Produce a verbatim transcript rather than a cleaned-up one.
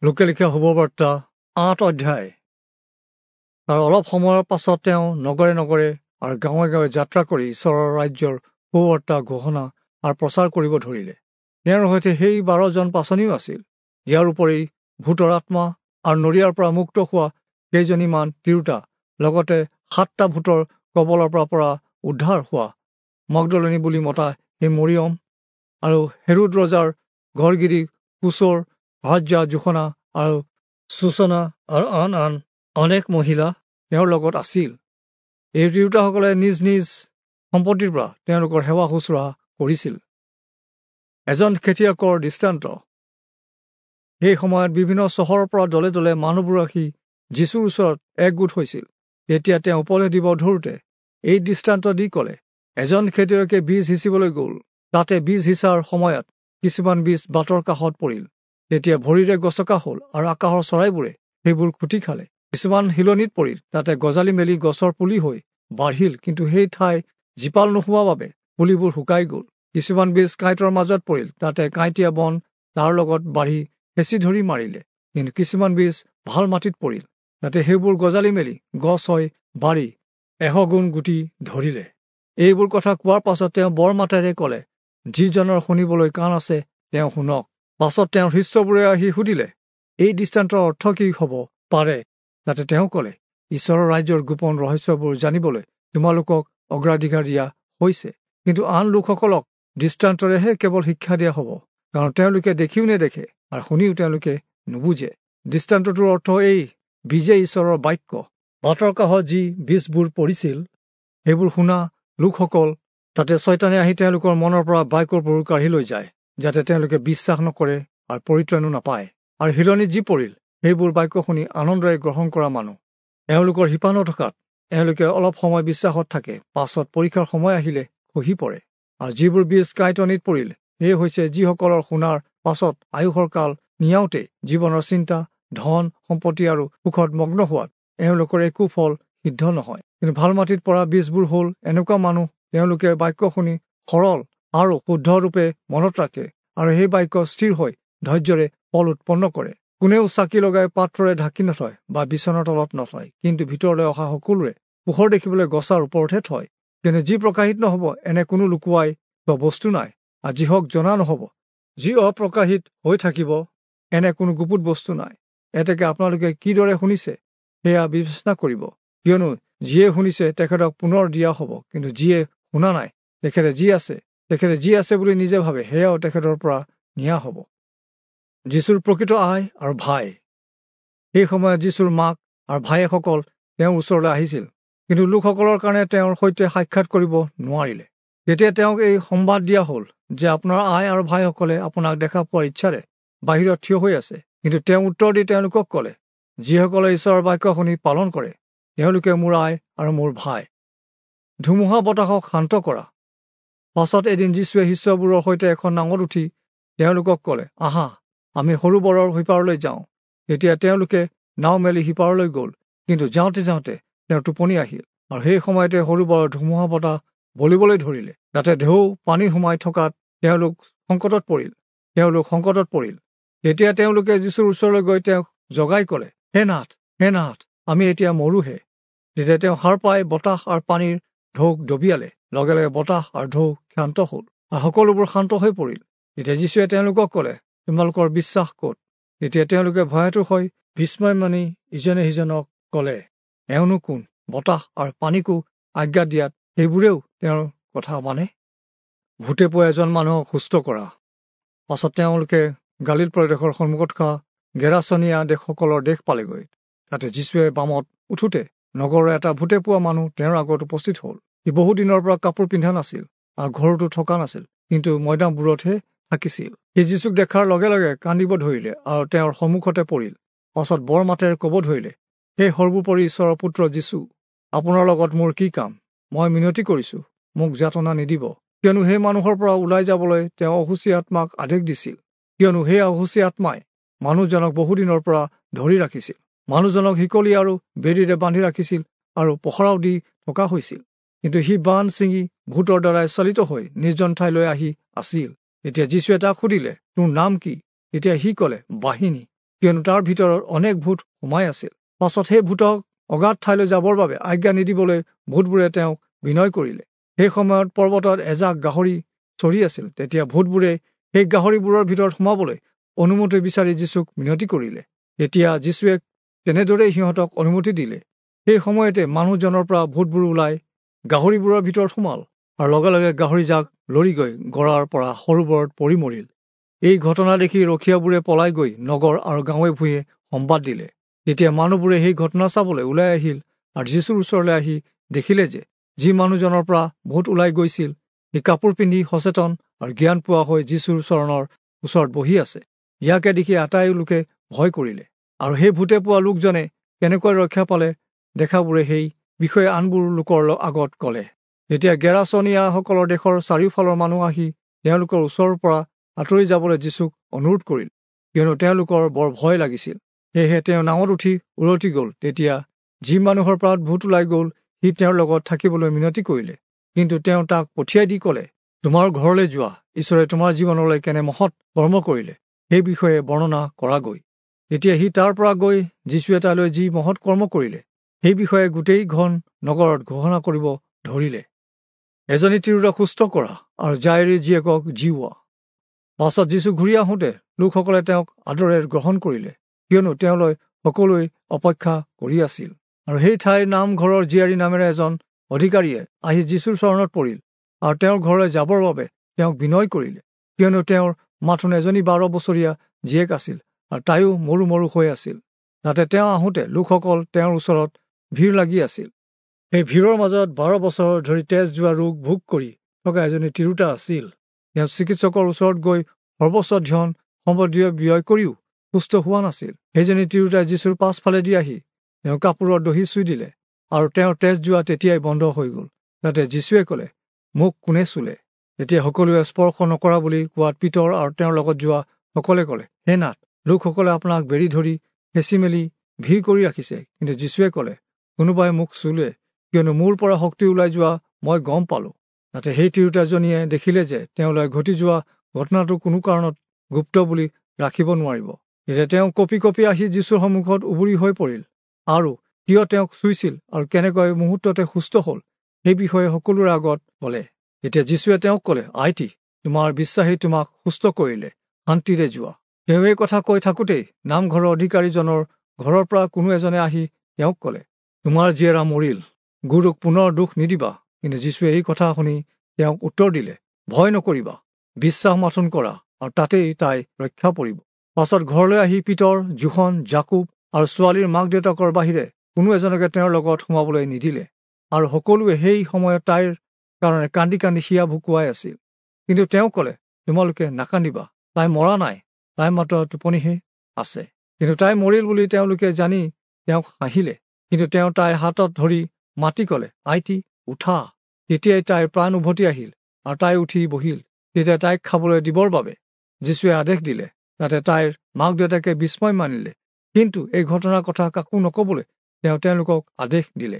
লোকে লিখা শুভবাৰ্তা আঠ অধ্যায়। তাৰ অলপ সময়ৰ পাছত তেওঁ নগৰে নগৰে আৰু গাঁৱে গাঁৱে যাত্ৰা কৰি ঈশ্বৰৰ ৰাজ্যৰ সুবাৰ্তা ঘোষণা আৰু প্ৰচাৰ কৰিব ধৰিলে। তেওঁৰ সৈতে সেই বাৰজন পাচনিও আছিল। ইয়াৰ উপৰি ভূতৰ আত্মা আৰু নৰিয়াৰ পৰা মুক্ত হোৱা কেইজনীমান তিৰোতা, লগতে সাতটা ভূতৰ কবলৰ পৰা পৰা উদ্ধাৰ হোৱা মগদলনী বুলি মতা সেই মৰিয়ম আৰু হেৰোদ ৰজাৰ ঘৰগিৰি কুচৰ ভাৰ্যা জোখনা আৰু সূচনা আৰু আন আন অনেক মহিলা তেওঁৰ লগত আছিল। এই তিৰোতাসকলে নিজ নিজ সম্পত্তিৰ পৰা তেওঁলোকৰ সেৱা শুশ্ৰূষা কৰিছিল। এজন খেতিয়কৰ দৃষ্টান্ত। সেই সময়ত বিভিন্ন চহৰৰ পৰা দলে দলে মানুহবোৰ আহি যীশুৰ ওচৰত একগোট হৈছিল। তেতিয়া তেওঁ উপদেশ দিব ধৰোঁতে এই দৃষ্টান্ত দি ক'লে, এজন খেতিয়কে বীজ সিঁচিবলৈ গ'ল। তাতে বীজ সিঁচাৰ সময়ত কিছুমান বীজ বাটৰ কাষত পৰিল। তেতিয়া ভৰিৰে গছকা হ'ল আৰু আকাশৰ চৰাইবোৰে সেইবোৰ খুটি খালে। কিছুমান শিলনিত পৰিল, তাতে গজালি মেলি গছৰ পুলি হৈ বাঢ়িল, কিন্তু সেই ঠাই জীপাল নোহোৱা বাবে পুলিবোৰ শুকাই গ'ল। কিছুমান বীজ কাঁইটৰ মাজত পৰিল, তাতে কাঁইটীয়া বন তাৰ লগত বাঢ়ি হেঁচি ধৰি মাৰিলে। কিন্তু কিছুমান বীজ ভাল মাটিত পৰিল, তাতে সেইবোৰ গজালি মেলি গছ হৈ বাঢ়ি এশ গুণ গুটি ধৰিলে। এইবোৰ কথা কোৱাৰ পাছত তেওঁ বৰ মাতেৰে ক'লে, যিজনৰ শুনিবলৈ কাণ আছে তেওঁ শুনক। পাছত তেওঁৰ শিষ্যবোৰে আহি সুধিলে, এই দৃষ্টান্তৰ অৰ্থ কি হ'ব পাৰে? তাতে তেওঁ ক'লে, ঈশ্বৰৰ ৰাজ্যৰ গোপন ৰহস্যবোৰ জানিবলৈ তোমালোকক অগ্ৰাধিকাৰ দিয়া হৈছে, কিন্তু আন লোকসকলক দৃষ্টান্তৰেহে কেৱল শিক্ষা দিয়া হ'ব, কাৰণ তেওঁলোকে দেখিও নেদেখে আৰু শুনিও তেওঁলোকে নুবুজে। দৃষ্টান্তটোৰ অৰ্থ এই, বীজে ঈশ্বৰৰ বাক্য। বাটৰ কাষত যি বীজবোৰ পৰিছিল সেইবোৰ শুনা লোকসকল, তাতে ছয়তানে আহি তেওঁলোকৰ মনৰ পৰা বাক্যবোৰ কাঢ়ি লৈ যায়, যাতে তেওঁলোকে বিশ্বাস নকৰে আৰু পৰিত্ৰাণো নাপায়। আৰু শিলনিত যি পৰিল সেইবোৰ বাক্য শুনি আনন্দৰে গ্ৰহণ কৰা মানুহ। এওঁলোকৰ শিপা নথকাত এওঁলোকে অলপ সময় বিশ্বাসত থাকে, পাছত পৰীক্ষাৰ সময় আহিলে খহি পৰে। আৰু যিবোৰ বীজ কাঁইটনিত পৰিল সেয়ে হৈছে যিসকলৰ শুনাৰ পাছত আয়ুসৰ কাল নিয়াওঁতে জীৱনৰ চিন্তা, ধন সম্পত্তি আৰু সুখত মগ্ন হোৱাত এওঁলোকৰ একো ফল সিদ্ধ নহয়। কিন্তু ভাল মাটিত পৰা বীজবোৰ হ'ল এনেকুৱা মানুহ, তেওঁলোকে বাক্য শুনি সৰল আৰু শুদ্ধৰূপে মনত ৰাখে আৰু সেই বাক্য স্থিৰ হৈ ধৈৰ্যৰে ফল উৎপন্ন কৰে। কোনেও চাকি লগাই পাত্ৰৰে ঢাকি নথয় বা বিচনাৰ তলত নথয়, কিন্তু ভিতৰলৈ অহা সকলোৰে পোহৰ দেখিবলৈ গছাৰ ওপৰতহে থয়। কিন্তু যি প্ৰকাশিত নহ'ব এনে কোনো লুকুৱাই বা বস্তু নাই, আৰু যিহক জনা নহ'ব, যি অপ্ৰকাশিত হৈ থাকিব এনে কোনো গুপুত বস্তু নাই। এতেকে আপোনালোকে কিদৰে শুনিছে সেয়া বিবেচনা কৰিব, কিয়নো যিয়ে শুনিছে তেখেতক পুনৰ দিয়া হ'ব, কিন্তু যিয়ে শুনা নাই তেখেতে যি আছে তেখেতে যি আছে বুলি নিজে ভাবে সেয়াও তেখেতৰ পৰা নিয়া হ'ব। যীশুৰ প্ৰকৃত আই আৰু ভাই। সেই সময়ত যীশুৰ মাক আৰু ভায়েকসকল তেওঁৰ ওচৰলৈ আহিছিল, কিন্তু লোকসকলৰ কাৰণে তেওঁৰ সৈতে সাক্ষাৎ কৰিব নোৱাৰিলে। তেতিয়া তেওঁক এই সম্বাদ দিয়া হ'ল যে আপোনাৰ আই আৰু ভাইসকলে আপোনাক দেখা পোৱাৰ ইচ্ছাৰে বাহিৰত থিয় হৈ আছে। কিন্তু তেওঁ উত্তৰ দি তেওঁলোকক ক'লে, যিসকলে ঈশ্বৰৰ বাক্য শুনি পালন কৰে তেওঁলোকে মোৰ আই আৰু মোৰ ভাই। ধুমুহা বতাহক শান্ত কৰা। পাছত এদিন যীশুৱে শিষ্যবোৰৰ সৈতে এখন নাৱত উঠি তেওঁলোকক ক'লে, আহা আমি সৰোবৰৰ সিপাৰলৈ যাওঁ। তেতিয়া তেওঁলোকে নাও মেলি সিপাৰলৈ গ'ল, কিন্তু যাওঁতে যাওঁতে তেওঁৰ টোপনি আহিল। আৰু সেই সময়তে সৰোবৰৰ ধুমুহা বতাহ বলিবলৈ ধৰিলে, তাতে ঢৌ পানী সোমাই থকাত তেওঁলোক সংকটত পৰিল তেওঁলোক সংকটত পৰিল। তেতিয়া তেওঁলোকে যীশুৰ ওচৰলৈ গৈ তেওঁক জগাই ক'লে, হে নাথ, হে নাথ, আমি এতিয়া মৰোহে। তেতিয়া তেওঁ সাৰ পাই বতাহ আৰু পানীৰ ঢৌক ডবিয়ালে। লগে লগে বতাহ আৰু ঢৌ শান্ত হ'ল আৰু সকলোবোৰ শান্ত হৈ পৰিল। তেতিয়া যীশুৱে তেওঁলোকক ক'লে, তোমালোকৰ বিশ্বাস ক'ত? তেতিয়া তেওঁলোকে ভয়াতুৰ হৈ বিস্ময় মানি ইজনে সিজনক ক'লে, এওঁনো কোন, বতাহ আৰু পানীকো আজ্ঞা দিয়াত সেইবোৰেও তেওঁৰ কথা মানে? ভূতে পোৱা এজন মানুহক সুস্থ কৰা। পাছত তেওঁলোকে গালিল প্ৰদেশৰ সন্মুখত থকা গেৰাচনীয়া দেশসকলৰ দেশ পালেগৈ। তাতে যীশুৱে বামত উঠোঁতে নগৰৰ এটা ভূতে পোৱা মানুহ তেওঁৰ আগত উপস্থিত হ'ল। সি বহুদিনৰ পৰা কাপোৰ পিন্ধা নাছিল আৰু ঘৰতো থকা নাছিল, কিন্তু মৈদামবোৰতহে থাকিছিল। সি যীশুক দেখাৰ লগে লগে কান্দিব ধৰিলে আৰু তেওঁৰ সন্মুখতে পৰিল। পাছত বৰ মাতেৰে ক'ব ধৰিলে, হে সৰ্বোপৰি ঈশ্বৰৰ পুত্ৰ যীশু, আপোনাৰ লগত মোৰ কি কাম? মই মিনতি কৰিছোঁ, মোক যাতনা নিদিব। কিয়নো সেই মানুহৰ পৰা ওলাই যাবলৈ তেওঁ অসুচী আত্মাক আদেশ দিছিল। কিয়নো সেই অসুচী আত্মাই মানুহজনক বহুদিনৰ পৰা ধৰি ৰাখিছিল। মানুহজনক শিকলি আৰু বেৰীৰে বান্ধি ৰাখিছিল আৰু পহৰাও দি থকা হৈছিল। কিন্তু সি বান্ধ ছিঙি ভূতৰ দ্বাৰাই চালিত হৈ নিৰ্জন ঠাইলৈ আহি আছিল। তেতিয়া যীশুৱে তাক সুধিলে, তোৰ নাম কি? তেতিয়া সি ক'লে, বাহিনী, কিয়নো তাৰ ভিতৰত অনেক ভূত সোমাই আছিল। পাছত সেই ভূতক অগাধ ঠাইলৈ যাবৰ বাবে আজ্ঞা নিদিবলৈ ভূতবোৰে তেওঁক বিনয় কৰিলে। সেই সময়ত পৰ্বতত এজাক গাহৰি চৰি আছিল। তেতিয়া ভূতবোৰে সেই গাহৰিবোৰৰ ভিতৰত সোমাবলৈ অনুমতি বিচাৰি যীচুক মিনতি কৰিলে। তেতিয়া যীচুৱে তেনেদৰেই সিহঁতক অনুমতি দিলে। সেই সময়তে মানুহজনৰ পৰা ভূতবোৰ ওলাই গাহৰিবোৰৰ ভিতৰত সোমাল আৰু লগে লগে গাহৰিজাক লৰি গৈ গড়াৰ পৰা সৰোবৰত পৰি মৰিল। এই ঘটনা দেখি ৰখীয়াবোৰে পলাই গৈ নগৰ আৰু গাঁৱে ভূঞে সম্বাদ দিলে। তেতিয়া মানুহবোৰে সেই ঘটনা চাবলৈ ওলাই আহিল আৰু যীচুৰ ওচৰলৈ আহি দেখিলে যে যি মানুহজনৰ পৰা ভূত ওলাই গৈছিল সি কাপোৰ পিন্ধি সচেতন আৰু জ্ঞান পোৱা হৈ যীচুৰ চৰণৰ ওচৰত বহি আছে। ইয়াকে দেখি আটাই লোকে ভয় কৰিলে। আৰু সেই ভূতে পোৱা লোকজনে কেনেকৈ ৰক্ষা পালে দেখাবোৰে সেই বিষয়ে আনবোৰ লোকৰ আগত ক'লে। তেতিয়া গেৰাচনীয়াসকলৰ দেশৰ চাৰিওফালৰ মানুহ আহি তেওঁলোকৰ ওচৰৰ পৰা আঁতৰি যাবলৈ যীচুক অনুৰোধ কৰিল, কিয়নো তেওঁলোকৰ বৰ ভয় লাগিছিল। সেয়েহে তেওঁ নাৱত উঠি উলটি গ'ল। তেতিয়া যি মানুহৰ পৰা ভূত ওলাই গ'ল সি তেওঁৰ লগত থাকিবলৈ মিনতি কৰিলে, কিন্তু তেওঁ তাক পঠিয়াই দি ক'লে, তোমাৰ ঘৰলৈ যোৱা, ঈশ্বৰে তোমাৰ জীৱনলৈ কেনে মহৎ কৰ্ম কৰিলে সেই বিষয়ে বৰ্ণনা কৰাগৈ। তেতিয়া সি তাৰ পৰা গৈ যীচুৱে তালৈ যি মহৎ কৰ্ম কৰিলে সেই বিষয়ে গোটেই ঘন নগৰত ঘোষণা কৰিব ধৰিলে। এজনী তিৰোতাক সুস্থ কৰা আৰু জাইৰীৰ জীয়েকক জীওৱা। পাছত যীচু ঘূৰি আহোঁতে লোকসকলে তেওঁক আদৰেৰে গ্ৰহণ কৰিলে, কিয়নো তেওঁলৈ সকলোৱে অপেক্ষা কৰি আছিল। আৰু সেই ঠাইৰ নামঘৰৰ জীয়াৰী নামেৰে এজন অধিকাৰীয়ে আহি যীচুৰ চৰণত পৰিল আৰু তেওঁৰ ঘৰলৈ যাবৰ বাবে তেওঁক বিনয় কৰিলে, কিয়নো তেওঁৰ মাথোন এজনী বাৰ বছৰীয়া জীয়েক আছিল আৰু তাইও মৰো মৰো হৈ আছিল। তাতে তেওঁ আহোঁতে লোকসকল তেওঁৰ ওচৰত ভিৰ লাগি আছিল। সেই ভিৰৰ মাজত বাৰ বছৰ ধৰি তেজ যোৱা ৰোগ ভোগ কৰি থকা এজনী তিৰোতা আছিল। তেওঁ চিকিৎসকৰ ওচৰত গৈ সৰ্বোচ্চ ধন সম্পত্তি ব্যয় কৰিও সুস্থ হোৱা নাছিল। সেইজনী তিৰোতাই যীচুৰ পাছফালেদি আহি তেওঁ কাপোৰৰ দহি চুই দিলে আৰু তেওঁৰ তেজ যোৱা তেতিয়াই বন্ধ হৈ গ'ল। তাতে যীচুৱে ক'লে, মোক কোনে চুলে? তেতিয়া সকলোৱে স্পৰ্শ নকৰা বুলি কোৱাত পিতৰ আৰু তেওঁৰ লগত যোৱা সকলে ক'লে, হে নাথ, লোকসকলে আপোনাক বেৰি ধৰি হেঁচি মেলি ভিৰ কৰি ৰাখিছে। কিন্তু যীচুৱে ক'লে, কোনোবাই মোক চুলে, কিয়নো মোৰ পৰা শক্তি ওলাই যোৱা মই গম পালোঁ। তাতে সেই তিৰোতাজনীয়ে দেখিলে যে তেওঁলৈ ঘটি যোৱা ঘটনাটো কোনো কাৰণত গুপ্ত বুলি ৰাখিব নোৱাৰিব। তেতিয়া তেওঁ কঁপি কঁপি আহি যীচুৰ সন্মুখত উবুৰি হৈ পৰিল আৰু কিয় তেওঁক চুইছিল আৰু কেনেকৈ মুহূৰ্ততে সুস্থ হ'ল সেই বিষয়ে সকলোৰে আগত ক'লে। তেতিয়া যীচুৱে তেওঁক ক'লে, IT, তোমাৰ বিশ্বাসী তোমাক সুস্থ কৰিলে, শান্তিৰে যোৱা। তেওঁ এই কথা কৈ থাকোঁতেই নামঘৰৰ অধিকাৰীজনৰ ঘৰৰ পৰা কোনো এজনে আহি তেওঁক ক'লে, তোমাৰ জীয়েৰা মৰিল, গুৰুক পুনৰ দুখ নিদিবা। কিন্তু যীচুৱে এই কথা শুনি তেওঁক উত্তৰ দিলে, ভয় নকৰিবা, বিশ্বাস মাথোন কৰা আৰু তাতেই তাই ৰক্ষা পৰিব। পাছত ঘৰলৈ আহি পিতৰ, যোহন, জাকুব আৰু ছোৱালীৰ মাক দেউতাকৰ বাহিৰে কোনো এজনকে তেওঁৰ লগত সোমাবলৈ নিদিলে। আৰু সকলোৱে সেই সময়ত তাইৰ কাৰণে কান্দি কান্দি হিয়া ভুকুৱাই আছিল। কিন্তু তেওঁ ক'লে, তোমালোকে নাকান্দিবা, তাই মৰা নাই, তাই মাত্ৰ টোপনিহে আছে। কিন্তু তাই মৰিল বুলি তেওঁলোকে জানি তেওঁক হাঁহিলে। কিন্তু তেওঁ তাইৰ হাতত ধৰি মাতি ক'লে, IT, উঠা। তেতিয়াই তাইৰ প্ৰাণ উভতি আহিল আৰু তাই উঠি বহিল। তেতিয়া তাইক খাবলৈ দিবৰ বাবে যীচুৱে আদেশ দিলে। তাতে তাইৰ মাক দেউতাকে বিস্ময় মানিলে, কিন্তু এই ঘটনাৰ কথা কাকো নক'বলৈ তেওঁ তেওঁলোকক আদেশ দিলে।